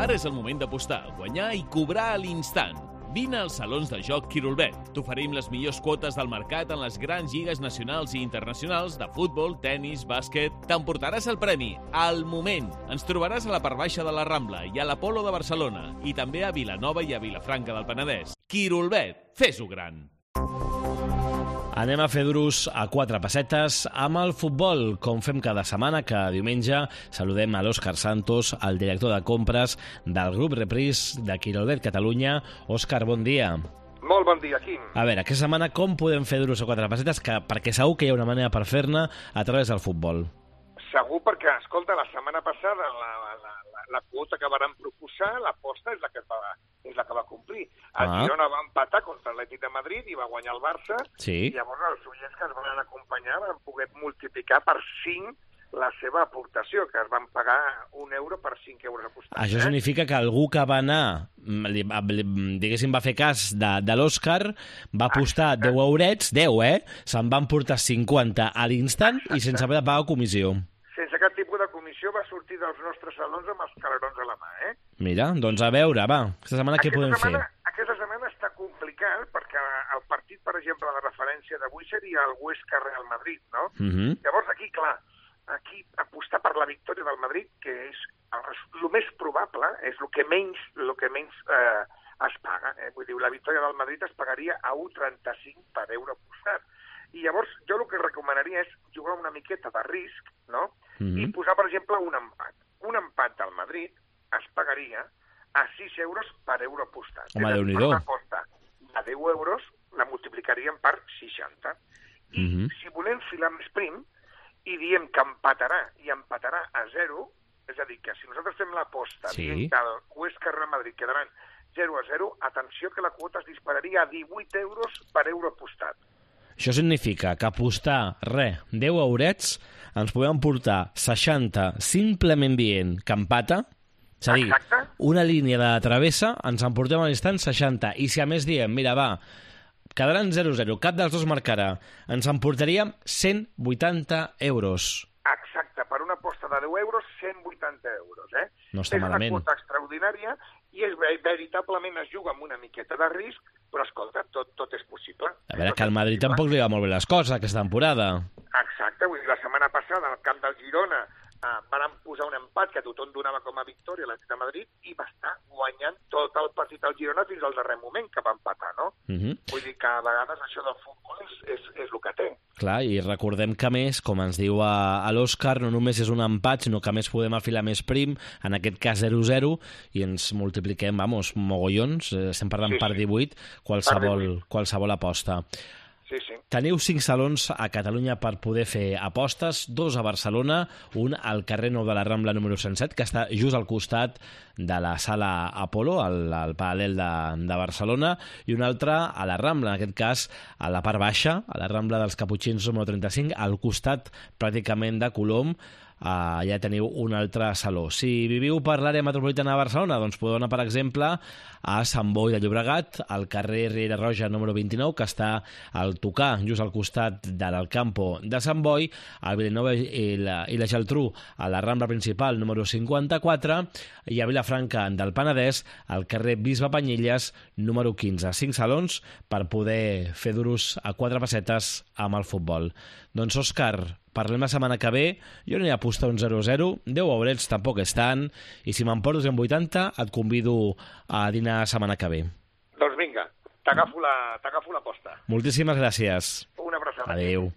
Ara és el moment d'apostar, guanyar i cobrar a l'instant. Vine als salons de joc Quirolbet. T'oferim les millors quotes del mercat en les grans lligues nacionals i internacionals de futbol, tennis, bàsquet. T'emportaràs el premi al moment. Ens trobaràs a la part baixa de la Rambla i a l'Apolo de Barcelona i també a Vilanova i a Vilafranca del Penedès. Quirolbet, fes-ho gran. Anem a fer duros a 4 pessetes amb el futbol, com fem cada setmana, cada diumenge. Saludem a l'Òscar Santos, el director de compres del grup Reprise de Quirolbet Catalunya. Òscar, bon dia. Molt bon dia, Quim. A veure, aquesta setmana com podem fer duros a 4 pessetes? Perquè segur que hi ha una manera per fer-ne a través del futbol. Segur perquè, escolta, la setmana passada la quota que vàrem proposar, l'aposta és la que va complir. El Girona va empatar contra l'Atlètic de Madrid i va guanyar el Barça. Sí. I llavors els oients que es van acompanyar van poder multiplicar per 5 la seva aportació, que es van pagar €1 per 5 euros apostats. Això significa que algú que va anar, diguéssim, va fer cas de l'Òscar, va apostar 10 eurets, 10, se'n van portar 50 a l'instant i sense haver de pagar comissió. Sense cap tipus de comissió va sortir dels nostres salons amb els calerons a la mà, Mira, doncs a veure, va, aquesta setmana què podem fer? Aquesta setmana està complicat perquè el partit, per exemple, de referència d'avui seria el Huesca-Real Madrid, no? Llavors aquí, clar, aquí apostar per la victòria del Madrid, que és el més probable, és el que menys es paga. Vull dir, la victòria del Madrid es pagaria a 1,35 per euro apostat. I llavors jo el que recomanaria és jugar una miqueta de risc, no? I posar, per exemple, un empat. Un empat del Madrid es pagaria a 6 euros per euro apostat. Home, Déu-n'hi-do. Una aposta de 10 euros la multiplicaríem per 60. I si volem filar més prim i diem que empatarà a 0, és a dir, que si nosaltres fem l'aposta dient que el Huesca-Real Madrid quedaran 0-0, atenció que la quota es dispararia a 18 euros per euro apostat. Això significa que apostar, 10 eurets, ens podem portar 60 simplement dient que empata, és a dir, una línia de travessa, ens en portem a l'instant 60, i si a més diem, mira, va, quedaran 0-0, cap dels dos marcarà, ens en portaríem 180 euros. Exacte, per una aposta de 10 euros, 180 euros, No està malament. És una quota extraordinària i veritablement es juga amb una miqueta de risc, però escolta, tot és possible. A veure, que al Madrid tampoc li va molt bé les coses aquesta temporada. Exacte, vull dir, la setmana passada al camp del Girona van posar un empat que tothom donava com a victòria a l'Atlètic de Madrid i va estar guanyant tot el partit al Girona fins al darrer moment que va empatar, no? Vull dir que a vegades això del futbol és el que té. Clar, i recordem que a més, com ens diu a l'Òscar, no només és un empat, sinó que a més podem afilar més prim, en aquest cas 0-0, i ens multipliquem, mogollons, estem parlant per 18, qualsevol aposta. Sí. Teniu 5 salons a Catalunya per poder fer apostes, 2 a Barcelona, un al carrer Nou de la Rambla número 107, que està just al costat de la sala Apolo, al paral·lel de Barcelona, i un altre a la Rambla, en aquest cas a la part baixa, a la Rambla dels Caputxins número 35, al costat pràcticament de Colom. Ja teniu un altre saló. Si viviu per l'àrea metropolitana de Barcelona, doncs podeu anar, per exemple, a Sant Boi de Llobregat, al carrer Riera Roja número 29, que està al tocar, just al costat de l'Alcampo de Sant Boi, a Vilanova i la Geltrú, a la Rambla principal número 54, i a Vilafranca del Penedès, al carrer Bisbe Panyelles número 15. 5 salons per poder fer duros a 4 pessetes amb el futbol. Doncs, Òscar, parlem la setmana que ve. Jo n'hi he apostat un 0-0, 10 eurets tampoc és tant, i si m'emporto 180 et convido a dinar la setmana que ve. Doncs vinga, t'agafo l'aposta. Moltíssimes gràcies. Una abraçada. Adéu.